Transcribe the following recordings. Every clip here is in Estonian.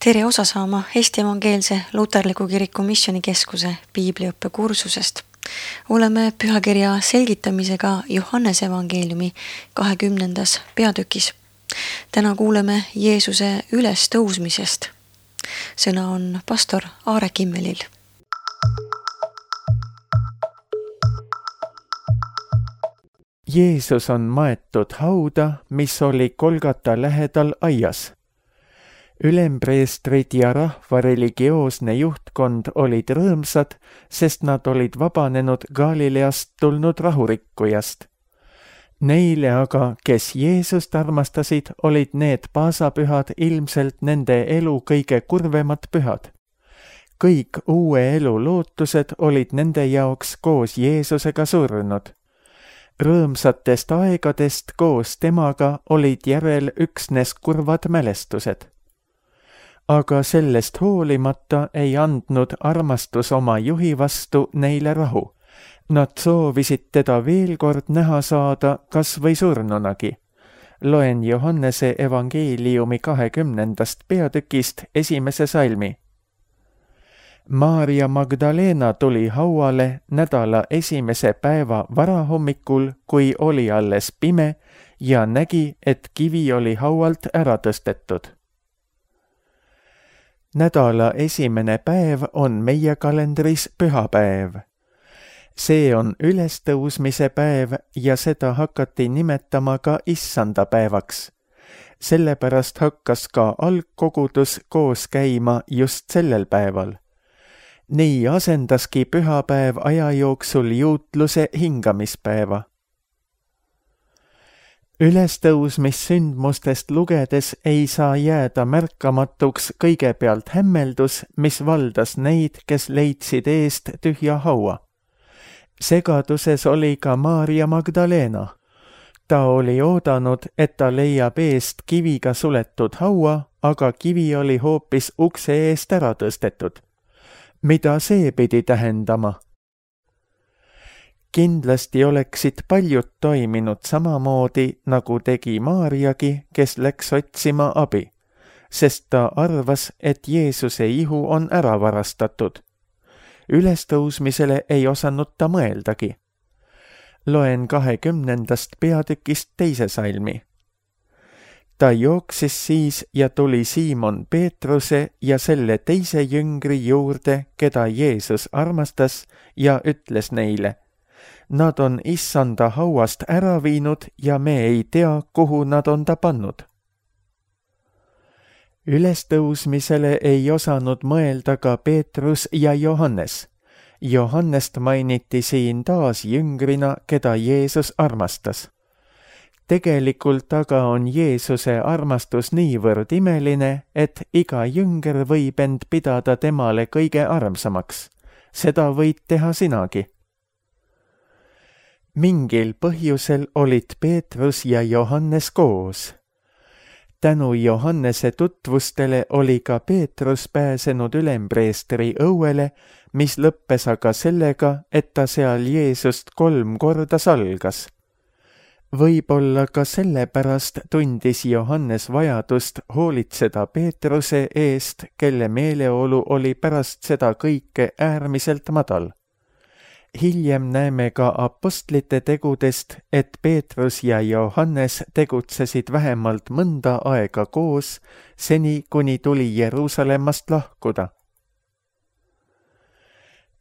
Tere osa saama Eesti Evangeelse Luterliku Kiriku Missioonikeskuse piibliõppekursusest. Oleme pühakirja selgitamisega Johannese evangeeliumi 20. peatükis. Täna kuuleme Jeesuse ülestõusmisest. Sõna on pastor Aare Kimmelil. Jeesus on maetud hauda, mis oli Golgata lähedal aias. Ülempreestrid ja rahva religioosne juhtkond olid rõõmsad, sest nad olid vabanenud Galileast tulnud rahurikkujast. Neile aga, kes Jeesust armastasid, olid need paasapühad ilmselt nende elu kõige kurvemad pühad. Kõik uue elu lootused olid nende jaoks koos Jeesusega surnud. Rõõmsatest aegadest koos temaga olid järel üksnes kurvad mälestused. Aga sellest hoolimata ei andnud armastus oma juhi vastu neile rahu. Nad soovisid teda veel kord näha saada, kas või surnunagi. Loen Johannese evangeeliumi 20. peatükist 1. salmi. Maarja Magdalena tuli hauale nädala 1. päeva varahommikul, kui oli alles pime, ja nägi, et kivi oli haualt ära tõstetud. Nädala 1. päev on meie kalendris pühapäev. See on ülestõusmise päev ja seda hakati nimetama ka issanda päevaks. Sellepärast hakkas ka algkogudus koos käima just sellel päeval. Nii asendaski pühapäev aja jooksul juutluse hingamispäeva. Ülestõusmissündmustest lugedes ei saa jääda märkamatuks kõigepealt hämmeldus, mis valdas neid, kes leidsid eest tühja haua. Segaduses oli ka Maarja Magdalena. Ta oli oodanud, et ta leiab eest kiviga suletud haua, aga kivi oli hoopis ukse eest ära tõstetud. Mida see pidi tähendama? Kindlasti oleksid paljud toiminud samamoodi, nagu tegi Maarjagi, kes läks otsima abi, sest ta arvas, et Jeesuse ihu on ära varastatud. Ülestõusmisele ei osanud ta mõeldagi. Loen 20. peatükist 2. salmi. Ta jooksis siis ja tuli Siimon Peetruse ja selle teise jüngri juurde, keda Jeesus armastas, ja ütles neile: Nad on issanda hauast ära viinud ja me ei tea, kuhu nad on ta pannud. Ülestõusmisele ei osanud mõelda ka Peetrus ja Johannes. Johannest mainiti siin taas jüngrina, keda Jeesus armastas. Tegelikult aga on Jeesuse armastus niivõrd imeline, et iga jünger võib end pidada temale kõige armsamaks. Seda võid teha sinagi. Mingil põhjusel olid Peetrus ja Johannes koos. Tänu Johannese tutvustele oli ka Peetrus pääsenud ülempreestri õuele, mis lõppes aga sellega, et ta seal Jeesust 3 korda salgas. Võib-olla ka sellepärast tundis Johannes vajadust hoolitseda Peetruse eest, kelle meeleolu oli pärast seda kõike äärmiselt madal. Hiljem näeme ka apostlite tegudest, et Peetrus ja Johannes tegutsesid vähemalt mõnda aega koos, seni kuni tuli Jeruusalemmast lahkuda.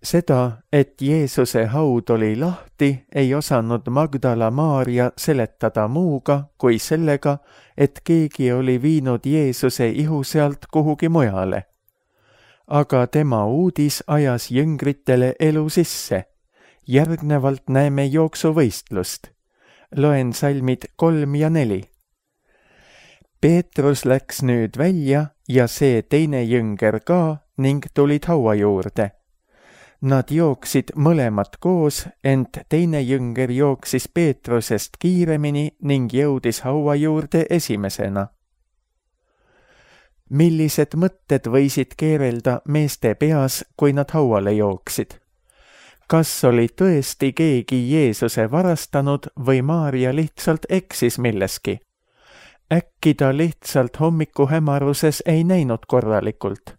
Seda, et Jeesuse haud oli lahti, ei osanud Magdala Maarja seletada muuga kui sellega, et keegi oli viinud Jeesuse ihu sealt kuhugi mujale. Aga tema uudis ajas jüngritele elu sisse. Järgnevalt näeme jooksuvõistlust. Loen salmid 3 ja 4. Peetrus läks nüüd välja ja see teine jünger ka ning tulid haua juurde. Nad jooksid mõlemad koos, ent teine jünger jooksis Peetrusest kiiremini ning jõudis haua juurde esimesena. Millised mõtted võisid keerelda meeste peas, kui nad hauale jooksid? Kas oli tõesti keegi Jeesuse varastanud või Maarja lihtsalt eksis milleski? äkki ta lihtsalt hommikuhämaruses ei näinud korralikult.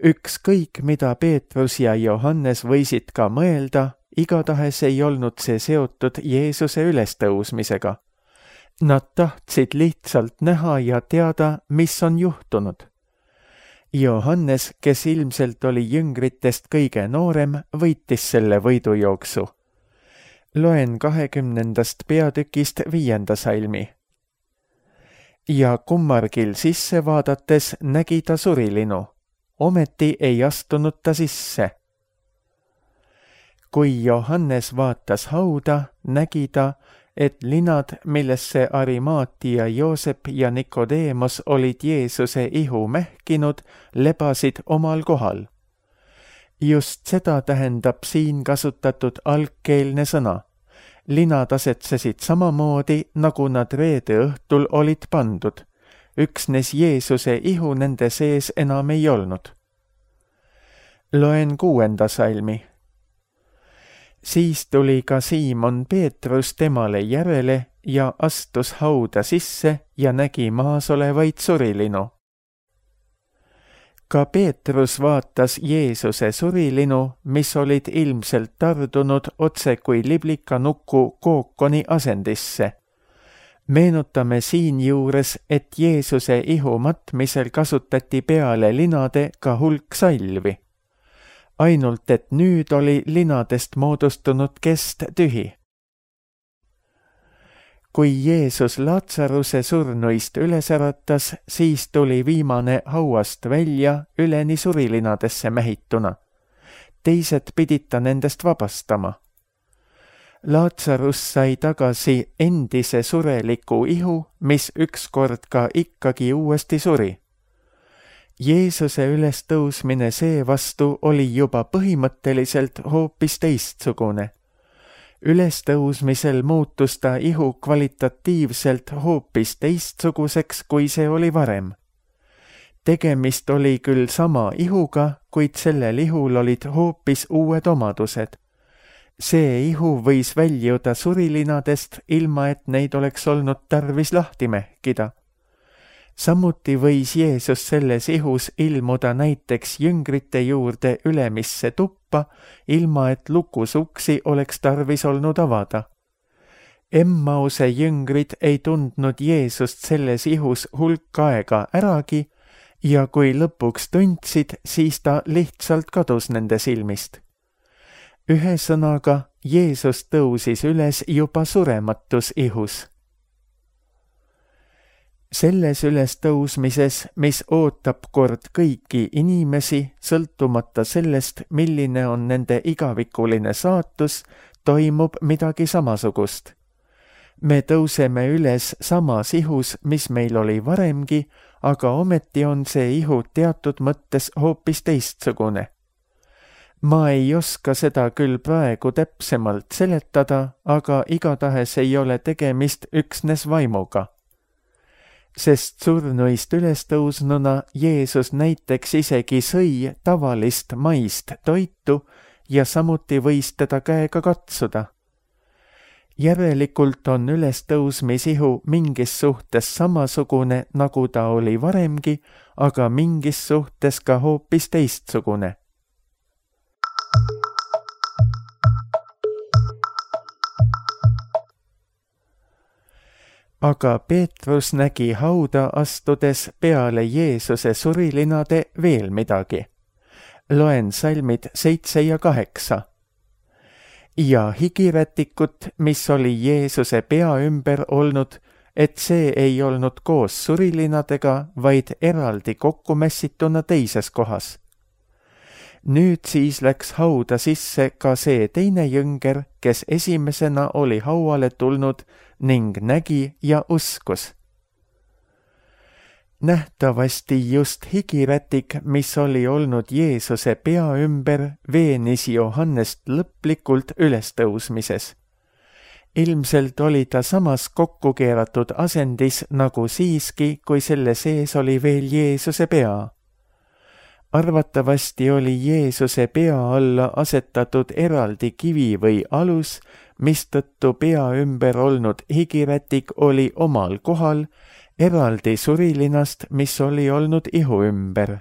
Ükskõik, mida Peetrus ja Johannes võisid ka mõelda, igatahes ei olnud see seotud Jeesuse ülestõusmisega. Nad tahtsid lihtsalt näha ja teada, mis on juhtunud. Johannes, kes ilmselt oli jüngritest kõige noorem, võitis selle võidujooksu. Loen 20. peatükist 5. salmi. Ja kummargil sisse vaadates nägi ta surilinu. Ometi ei astunud ta sisse. Kui Johannes vaatas hauda, nägi ta, et linad, millesse Arimaatia Joosep ja Nikodeemos olid Jeesuse ihu mähkinud, lebasid omal kohal. Just seda tähendab siin kasutatud algkeelne sõna. Linad asetsesid samamoodi, nagu nad reede õhtul olid pandud. Üksnes Jeesuse ihu nende sees enam ei olnud. Loen 6. salmi. Siis tuli ka Siimon Peetrus temale järele ja astus hauda sisse ja nägi maas olevaid surilinu. Ka Peetrus vaatas Jeesuse surilinu, mis olid ilmselt tardunud otse kui liblikanuku kookoni asendisse. Meenutame siinjuures, et Jeesuse ihu matmisel kasutati peale linade ka hulk salvi. Ainult, et nüüd oli linadest moodustunud kest tühi. Kui Jeesus Laatsaruse surnuist üles äratas, siis tuli viimane hauast välja üleni surilinadesse mähituna. Teised pidid ta nendest vabastama. Laatsarus sai tagasi endise sureliku ihu, mis ükskord ka ikkagi uuesti suri. Jeesuse ülestõusmine seevastu oli juba põhimõtteliselt hoopis teistsugune. Ülestõusmisel muutus ta ihu kvalitatiivselt hoopis teistsuguseks, kui see oli varem. Tegemist oli küll sama ihuga, kuid sellel ihul olid hoopis uued omadused. See ihu võis väljuda surilinadest, ilma et neid oleks olnud tarvis lahti mähkida. Samuti võis Jeesus selles ihus ilmuda näiteks jüngrite juurde ülemisse tuppa, ilma et lukusuksi oleks tarvis olnud avada. Emmause jüngrid ei tundnud Jeesust selles ihus hulk aega äragi ja kui lõpuks tundsid, siis ta lihtsalt kadus nende silmist. Ühesõnaga, Jeesus tõusis üles juba surematus ihus. Selles ülestõusmises, mis ootab kord kõiki inimesi, sõltumata sellest, milline on nende igavikuline saatus, toimub midagi samasugust. Me tõuseme üles samas ihus, mis meil oli varemgi, aga ometi on see ihu teatud mõttes hoopis teistsugune. Ma ei oska seda küll praegu täpsemalt seletada, aga igatahes ei ole tegemist üksnes vaimuga. Sest surnuist ülestõusnuna Jeesus näiteks isegi sõi tavalist maist toitu ja samuti võis teda käega katsuda. Järelikult on ülestõusmisihu mingis suhtes samasugune, nagu ta oli varemgi, aga mingis suhtes ka hoopis teistsugune. Aga Peetrus nägi hauda astudes peale Jeesuse surilinade veel midagi. Loen salmid 7 ja 8. Ja higirätikut, mis oli Jeesuse pea ümber olnud, et see ei olnud koos surilinadega, vaid eraldi kokku mässituna teises kohas. Nüüd siis läks hauda sisse ka see teine jünger, kes esimesena oli hauale tulnud ning nägi ja uskus. Nähtavasti just higirätik, mis oli olnud Jeesuse pea ümber, veenis Johannest lõplikult ülestõusmises. Ilmselt oli ta samas kokku keeratud asendis nagu siiski, kui selle sees oli veel Jeesuse pea. Arvatavasti oli Jeesuse pea alla asetatud eraldi kivi või alus, mistõttu pea ümber olnud higirätik oli omal kohal, eraldi surilinast, mis oli olnud ihu ümber.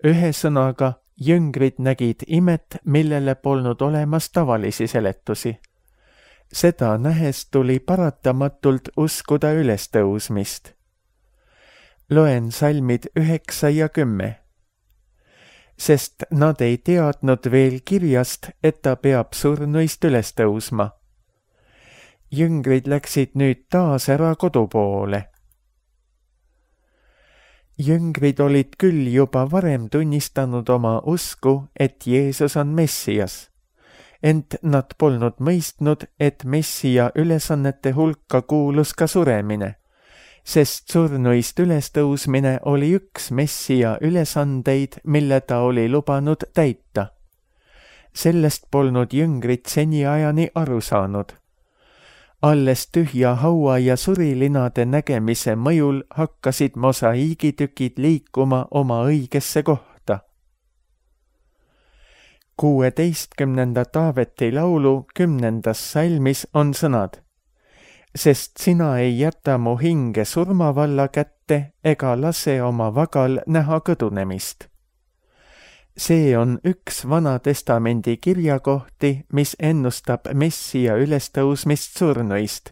Ühesõnaga, jüngrid nägid imet, millele polnud olemas tavalisi seletusi. Seda nähes tuli paratamatult uskuda ülestõusmist. Loen salmid 9 ja 10. Sest nad ei teadnud veel kirjast, et ta peab surnuist üles tõusma. Jüngrid läksid nüüd taas ära kodu poole. Jüngrid olid küll juba varem tunnistanud oma usku, et Jeesus on Messias. Ent nad polnud mõistnud, et Messia ülesannete hulka kuulus ka suremine, sest surnuist ülestõusmine oli üks Messia ülesandeid, mille ta oli lubanud täita. Sellest polnud jüngrid seniajani aru saanud. Alles tühja haua ja surilinade nägemise mõjul hakkasid mosaiigitükid liikuma oma õigesse kohta. 16. Taaveti laulu 10. salmis on sõnad: sest sina ei jäta mu hinge surmavalla kätte ega lase oma vagal näha kõdunemist. See on üks Vana Testamendi kirjakohti, mis ennustab Messia ülestõusmist surnuist,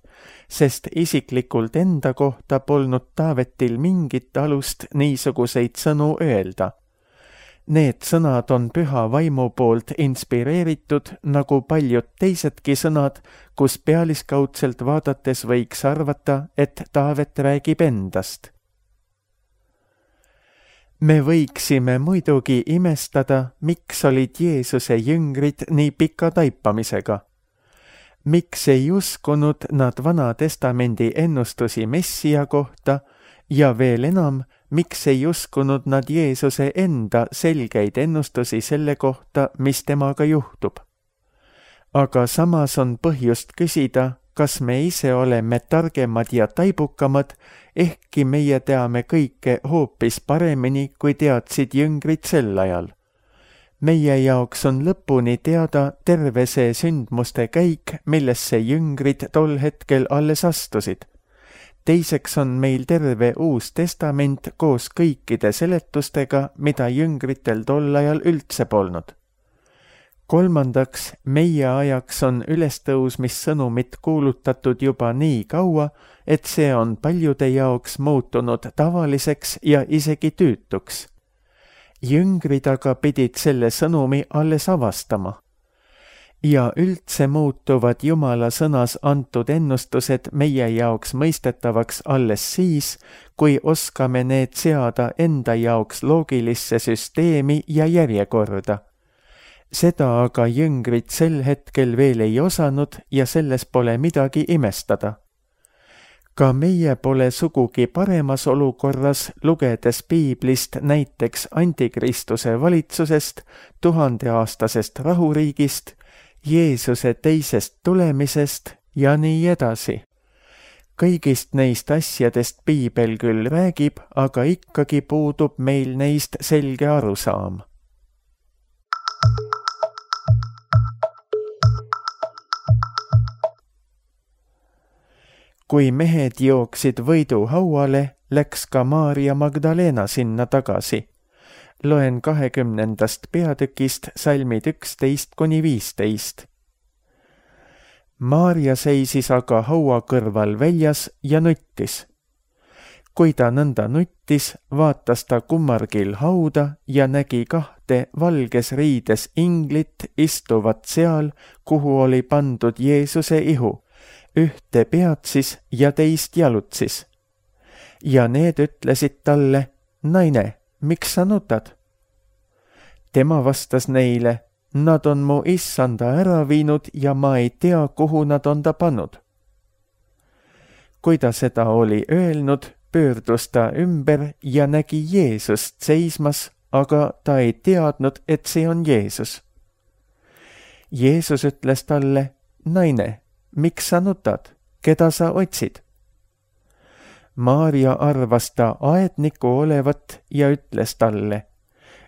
sest isiklikult enda kohta polnud Taavetil mingit alust niisuguseid sõnu öelda. Need sõnad on Püha Vaimu poolt inspireeritud, nagu paljud teisedki sõnad, kus pealiskaudselt vaadates võiks arvata, et Taavet räägib endast. Me võiksime muidugi imestada, miks olid Jeesuse jüngrid nii pika taipamisega. Miks ei uskunud nad Vana Testamendi ennustusi Messia kohta ja veel enam, miks ei uskunud nad Jeesuse enda selgeid ennustusi selle kohta, mis temaga juhtub. Aga samas on põhjust küsida, kas me ise oleme targemad ja taibukamad, ehkki meie teame kõike hoopis paremini, kui teadsid jüngrid sel ajal. Meie jaoks on lõpuni teada terve see sündmuste käik, millesse jüngrid tol hetkel alles astusid. Teiseks on meil terve Uus Testament koos kõikide seletustega, mida jüngritel tol ajal üldse polnud. Kolmandaks, meie ajaks on ülestõusmissõnumit kuulutatud juba nii kaua, et see on paljude jaoks muutunud tavaliseks ja isegi tüütuks. Jüngrid aga pidid selle sõnumi alles avastama. Ja üldse muutuvad Jumala sõnas antud ennustused meie jaoks mõistetavaks alles siis, kui oskame need seada enda jaoks loogilisse süsteemi ja järjekorda. Seda aga jüngrid sel hetkel veel ei osanud ja selles pole midagi imestada. Ka meie pole sugugi paremas olukorras, lugedes piiblist näiteks Antikristuse valitsusest, 1000-aastasest rahuriigist, Jeesuse teisest tulemisest ja nii edasi. Kõigist neist asjadest piibel küll räägib, aga ikkagi puudub meil neist selge arusaam. Kui mehed jooksid võiduhauale, läks ka Maarja Magdalena sinna tagasi. Loen 20. peatükist salmid 11-15. Maarja seisis aga haua kõrval väljas ja nuttis. Kui ta nõnda nuttis, vaatas ta kummargil hauda ja nägi 2 valges riides inglit istuvat seal, kuhu oli pandud Jeesuse ihu, ühte peatsis ja teist jalutsis. Ja need ütlesid talle: naine, miks sa nutad? Tema vastas neile: nad on mu issanda ära viinud ja ma ei tea, kuhu nad on ta pannud. Kui ta seda oli öelnud, pöördus ta ümber ja nägi Jeesust seismas, aga ta ei teadnud, et see on Jeesus. Jeesus ütles talle: naine, miks sa nutad? Keda sa otsid? Maarja arvas ta aedniku olevat ja ütles talle: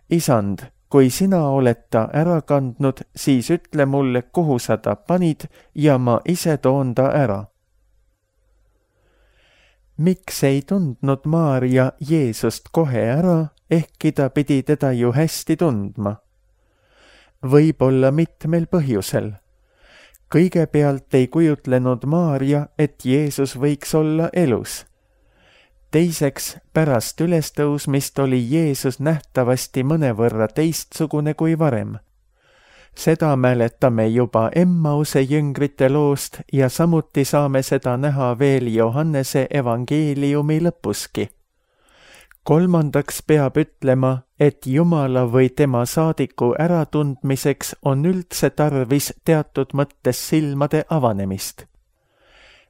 isand, kui sina oled ta ära kandnud, siis ütle mulle, kuhu sa ta panid ja ma ise toon ta ära. Miks ei tundnud Maarja Jeesust kohe ära, ehkki ta pidi teda ju hästi tundma? Võib-olla mitmel põhjusel. Kõigepealt ei kujutlenud Maarja, et Jeesus võiks olla elus. Teiseks, pärast ülestõusmist oli Jeesus nähtavasti mõnevõrra teistsugune kui varem. Seda mäletame juba Emmause jüngrite loost ja samuti saame seda näha veel Johannese evangeeliumi lõpuski. Kolmandaks peab ütlema, et Jumala või tema saadiku äratundmiseks on üldse tarvis teatud mõttes silmade avanemist.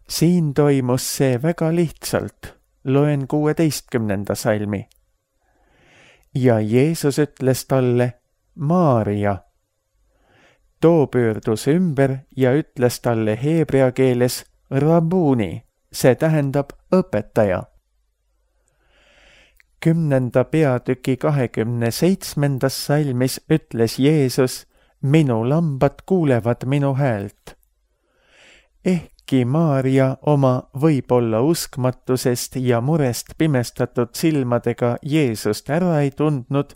Siin toimus see väga lihtsalt. Loen 16. salmi. Ja Jeesus ütles talle, Maarja. Too pöördus ümber ja ütles talle heebrea keeles Rabuni, see tähendab õpetaja. 10. peatüki 27. salmis ütles Jeesus, minu lambad kuulevad minu häält. Ehkki Maarja oma võib-olla uskmatusest ja murest pimestatud silmadega Jeesust ära ei tundnud,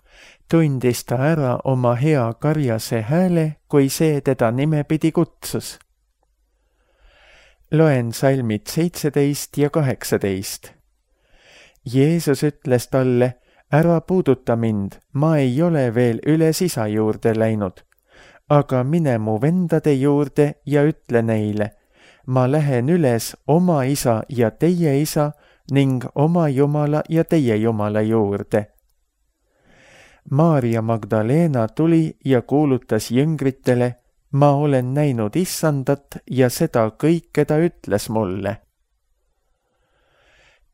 tundis ta ära oma hea karjase hääle, kui see teda nimepidi kutsus. Loen salmid 17 ja 18. Jeesus ütles talle, ära puuduta mind, ma ei ole veel üles isa juurde läinud, aga mine mu vendade juurde ja ütle neile, ma lähen üles oma isa ja teie isa ning oma Jumala ja teie Jumala juurde. Maarja Magdalena tuli ja kuulutas jüngritele, ma olen näinud issandat ja seda kõike ta ütles mulle.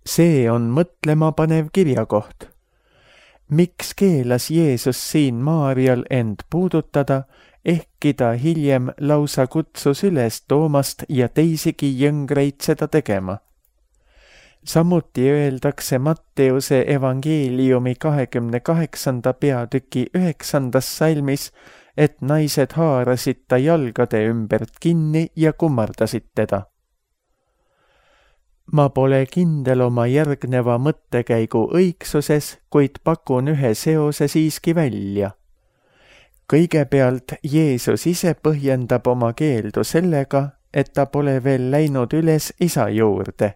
See on mõtlema panev kirjakoht. Miks keelas Jeesus siin Maarjal end puudutada, ehkki ta hiljem lausa kutsus üles Toomast ja teisigi jüngreid seda tegema? Samuti öeldakse Matteuse evangeeliumi 28. peatüki 9. salmis, et naised haarasid ta jalgade ümbert kinni ja kummardasid teda. Ma pole kindel oma järgneva mõttekäigu õigsuses, kuid pakun ühe seose siiski välja. Kõigepealt Jeesus ise põhjendab oma keeldu sellega, et ta pole veel läinud üles isa juurde.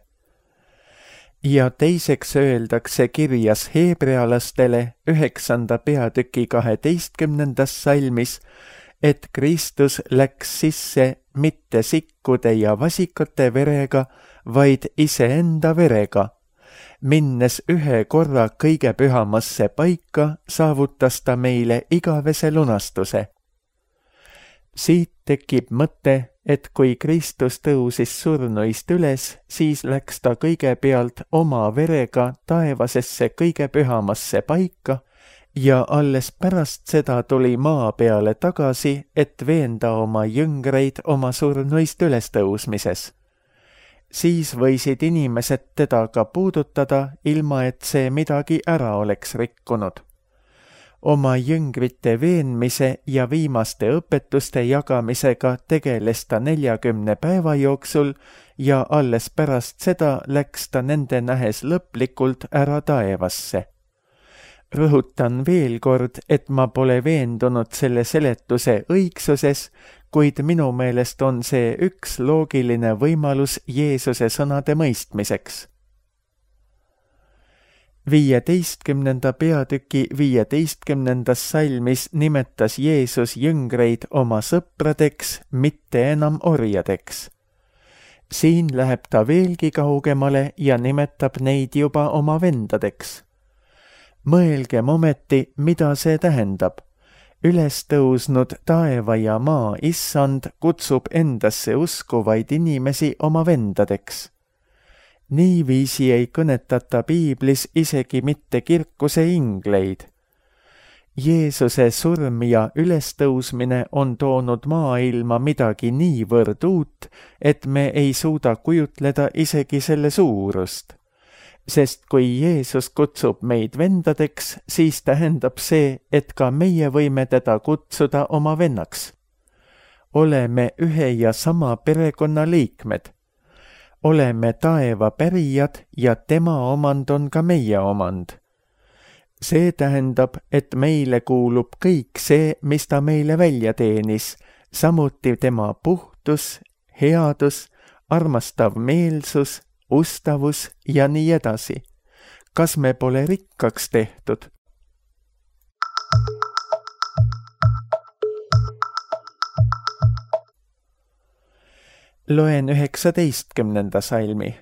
Ja teiseks öeldakse kirjas heebrealastele 9. peatüki 12. salmis, et Kristus läks sisse mitte sikkude ja vasikate verega, vaid iseenda verega. Minnes ühe korra kõige pühamasse paika, saavutas ta meile igavese lunastuse. Siit tekib mõte, et kui Kristus tõusis surnuist üles, siis läks ta kõigepealt oma verega taevasesse kõige pühamasse paika ja alles pärast seda tuli maa peale tagasi, et veenda oma jüngreid oma surnuist ülestõusmises. Siis võisid inimesed teda ka puudutada, ilma et see midagi ära oleks rikkunud. Oma jüngrite veenmise ja viimaste õpetuste jagamisega tegeles ta 40 päeva jooksul ja alles pärast seda läks ta nende nähes lõplikult ära taevasse. Rõhutan veel kord, et ma pole veendunud selle seletuse õigsuses, kuid minu meelest on see üks loogiline võimalus Jeesuse sõnade mõistmiseks. 15. peatüki 15. salmis nimetas Jeesus jüngreid oma sõpradeks, mitte enam orjadeks. Siin läheb ta veelgi kaugemale ja nimetab neid juba oma vendadeks. Mõelgem ometi, mida see tähendab. Ülestõusnud taeva ja maa issand kutsub endasse uskuvaid inimesi oma vendadeks. Niiviisi ei kõnetata piiblis isegi mitte kirkuse ingleid. Jeesuse surm ja ülestõusmine on toonud maailma midagi niivõrd uut, et me ei suuda kujutleda isegi selle suurust. sest kui Jeesus kutsub meid vendadeks, siis tähendab see, et ka meie võime teda kutsuda oma vennaks. Oleme ühe ja sama perekonna liikmed. Oleme taeva pärijad ja tema omand on ka meie omand. See tähendab, et meile kuulub kõik see, mis ta meile välja teenis, samuti tema puhtus, headus, armastav meelsus, ustavus ja nii edasi. Kas me pole rikkaks tehtud? Loen 19. salmi.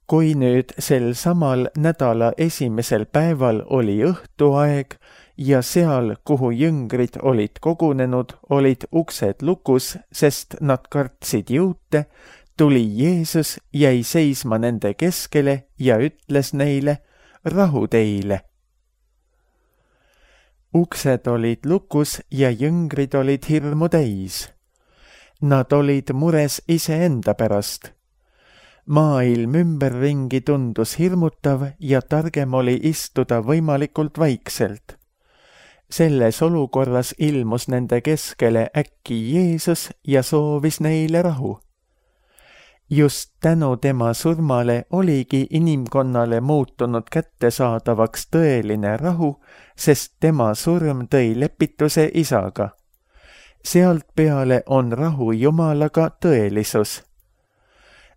Kui nüüd sel samal nädala esimesel päeval oli õhtuaeg ja seal, kuhu jüngrid olid kogunenud, olid uksed lukus, sest nad kartsid juute, tuli Jeesus, jäi seisma nende keskele ja ütles neile, rahu teile. Uksed olid lukus ja jüngrid olid hirmu täis. Nad olid mures iseenda pärast. Maailm ümberringi tundus hirmutav ja targem oli istuda võimalikult vaikselt. Selles olukorras ilmus nende keskele äkki Jeesus ja soovis neile rahu. Just tänu tema surmale oligi inimkonnale muutunud kättesaadavaks tõeline rahu, sest tema surm tõi lepituse Isaga. Sealt peale on rahu Jumalaga tõelisus.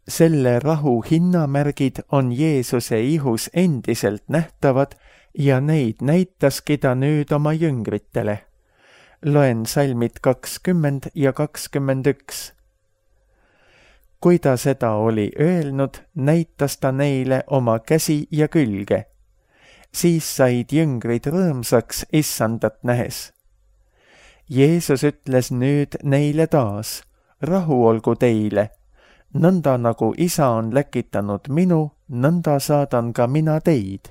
Selle rahu hinnamärgid on Jeesuse ihus endiselt nähtavad ja neid näitaski ta nüüd oma jüngritele. Loen salmid 20 ja 21. Kui ta seda oli öelnud, näitas ta neile oma käsi ja külge. Siis said jüngrid rõõmsaks issandat nähes. Jeesus ütles nüüd neile taas, rahu olgu teile. Nõnda nagu Isa on läkitanud minu, nõnda saadan ka mina teid.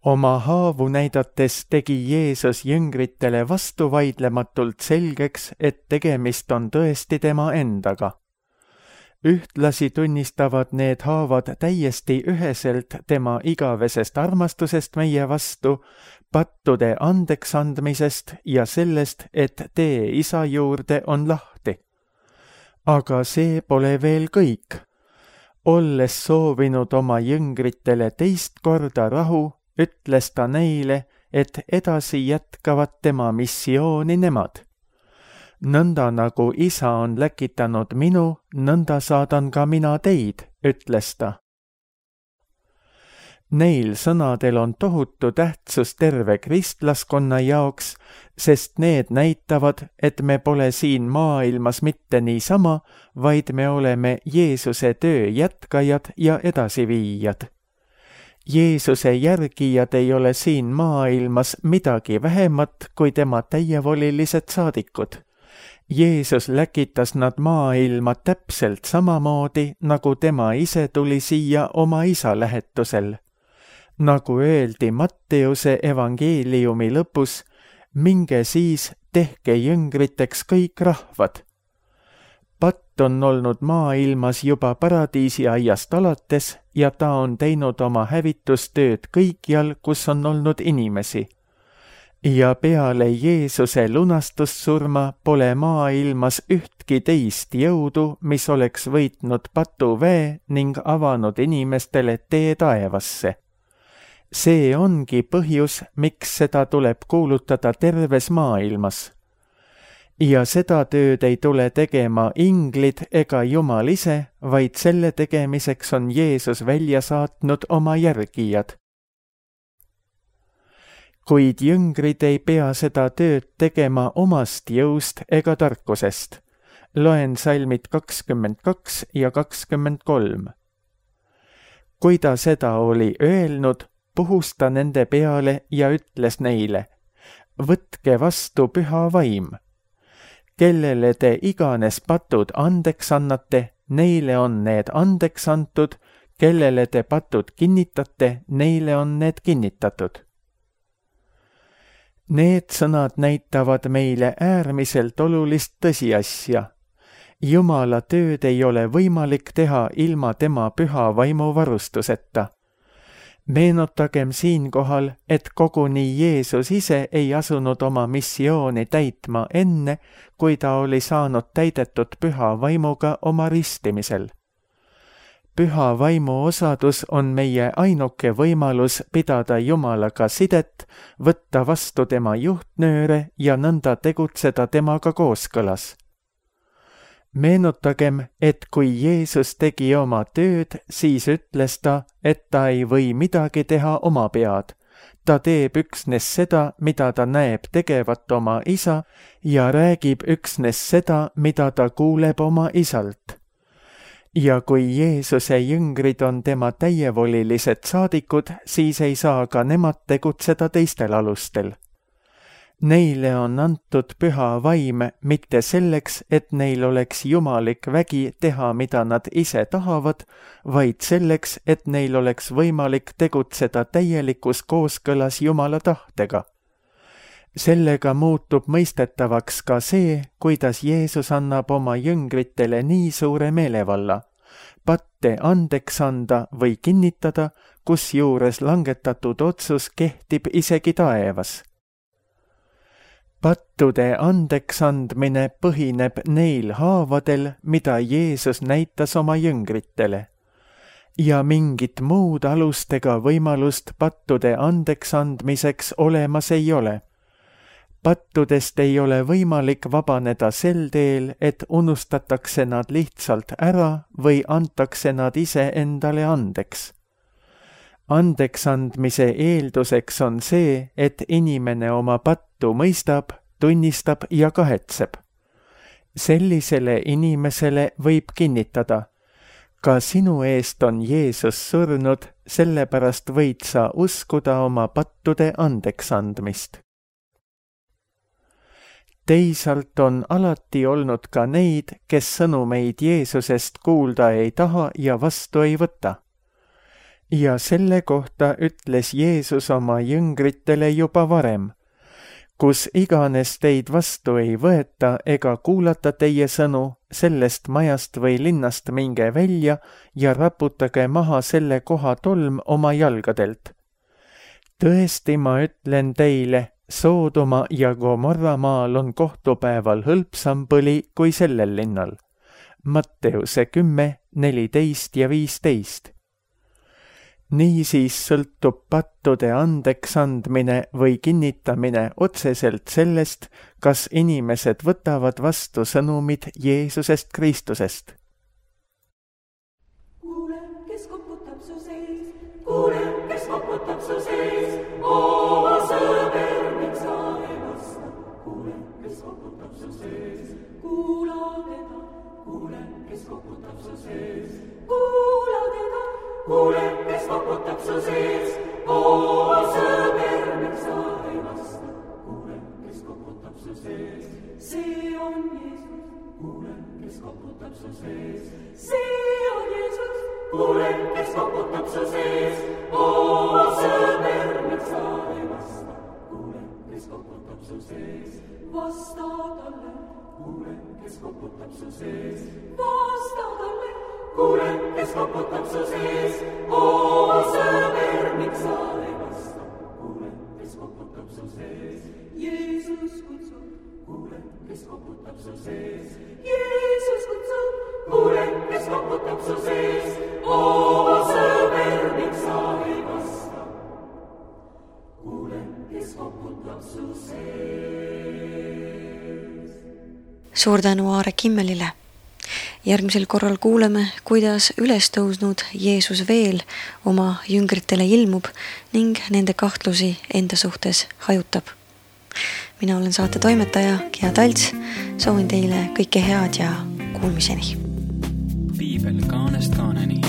Oma haavu näidates tegi Jeesus jüngritele vastuvaidlematult selgeks, et tegemist on tõesti tema endaga. Ühtlasi tunnistavad need haavad täiesti üheselt tema igavesest armastusest meie vastu, pattude andeksandmisest ja sellest, et tee Isa juurde on lahti. Aga see pole veel kõik. Olles soovinud oma jüngritele teist korda rahu, ütles ta neile, et edasi jätkavad tema missiooni nemad. Nõnda nagu Isa on läkitanud minu, nõnda saadan ka mina teid, ütles ta. Neil sõnadel on tohutu tähtsus terve kristlaskonna jaoks, sest need näitavad, et me pole siin maailmas mitte niisama, vaid me oleme Jeesuse töö jätkajad ja edasiviijad. Jeesuse järgijad ei ole siin maailmas midagi vähemat kui tema täievolilised saadikud. Jeesus läkitas nad maailma täpselt samamoodi, nagu tema ise tuli siia oma Isa lähetusel. Nagu öeldi Matteuse evangeeliumi lõpus, minge siis, tehke jüngriteks kõik rahvad. Patt on olnud maailmas juba paradiisiaiast alates ja ta on teinud oma hävitustööd kõikjal, kus on olnud inimesi. Ja peale Jeesuse lunastussurma pole maailmas ühtki teist jõudu, mis oleks võitnud patuväe ning avanud inimestele tee taevasse. See ongi põhjus, miks seda tuleb kuulutada terves maailmas. Ja seda tööd ei tule tegema inglid ega Jumal ise, vaid selle tegemiseks on Jeesus välja saatnud oma järgijad. Kuid jüngrid ei pea seda tööd tegema omast jõust ega tarkusest. Loen salmid 22 ja 23. Kui ta seda oli öelnud, puhus ta nende peale ja ütles neile, võtke vastu püha vaim. Kellele te iganes patud andeks annate, neile on need andeks antud, kellele te patud kinnitate, neile on need kinnitatud. Need sõnad näitavad meile äärmiselt olulist tõsiasja. Jumala tööd ei ole võimalik teha ilma tema püha vaimu varustuseta. Meenutagem siinkohal, et koguni Jeesus ise ei asunud oma missiooni täitma enne, kui ta oli saanud täidetud püha vaimuga oma ristimisel. Püha vaimu osadus on meie ainuke võimalus pidada Jumalaga sidet, võtta vastu tema juhtnööre ja nõnda tegutseda temaga kooskõlas. Meenutagem, et kui Jeesus tegi oma tööd, siis ütles ta, et ta ei või midagi teha oma pead. Ta teeb üksnes seda, mida ta näeb tegevat oma isa ja räägib üksnes seda, mida ta kuuleb oma isalt. Ja kui Jeesuse jüngrid on tema täievolilised saadikud, siis ei saa ka nemad tegutseda teistel alustel. Neile on antud püha vaim mitte selleks, et neil oleks jumalik vägi teha, mida nad ise tahavad, vaid selleks, et neil oleks võimalik tegutseda täielikus kooskõlas Jumala tahtega. Sellega muutub mõistetavaks ka see, kuidas Jeesus annab oma jüngritele nii suure meelevalla, patte andeks anda või kinnitada, kusjuures langetatud otsus kehtib isegi taevas. Pattude andeks andmine põhineb neil haavadel, mida Jeesus näitas oma jüngritele. Ja mingit muud alustega võimalust pattude andeks andmiseks olemas ei ole. Pattudest ei ole võimalik vabaneda sel teel, et unustatakse nad lihtsalt ära või antakse nad ise endale andeks. Andeks andmise eelduseks on see, et inimene oma pattu mõistab, tunnistab ja kahetseb. Sellisele inimesele võib kinnitada, ka sinu eest on Jeesus surnud, sellepärast võid sa uskuda oma pattude andeks andmist. Teisalt on alati olnud ka neid, kes sõnumeid Jeesusest kuulda ei taha ja vastu ei võta. Ja selle kohta ütles Jeesus oma jüngritele juba varem, kus iganes teid vastu ei võeta ega kuulata teie sõnu, sellest majast või linnast minge välja ja raputage maha selle koha tolm oma jalgadelt. Tõesti, ma ütlen teile, Soodoma ja Gomorra maal on kohtupäeval hõlpsam põli kui sellel linnal. Matteuse 10, 14 ja 15. Niisiis sõltub pattude andeks andmine või kinnitamine otseselt sellest, kas inimesed võtavad vastu sõnumid Jeesusest Kristusest. Kuule, kes koputab su sees, kuule, kes koputab su sees, oo sõber, miks sa ei vasta. Kuule, kes koputab su sees, kuula teda, kuule, kes koputab su sees, kuula teda. Kuule, kes koputab su sees, oo sõber, miks sa ei vasta. Kuule, kes koputab su sees, see on Jeesus. Kuule, kes koputab su sees, see on Jeesus. Kuule, kes koputab su sees, oo sõber, miks sa ei vasta. Kuule, kes koputab su sees, vasta talle. Kuule, kes koputab su sees, vasta talle. Kuule, kes koputab su sees, oo sõber, miks sa ei vasta. Kuule, kes koputab su sees, Jeesus kutsub. Kuule, kes koputab su sees, Jeesus kutsub. Kuule, kes koputab su sees, oo sõber, miks sa ei vasta. Kuule, kes koputab su sees. Suur tänu Aare Kimmelile. Järgmisel korral kuuleme, kuidas üles tõusnud Jeesus veel oma jüngritele ilmub ning nende kahtlusi enda suhtes hajutab. Mina olen saate toimetaja Gea Talts, soovin teile kõike head ja kuulmiseni. Piibel kaanest kaaneni.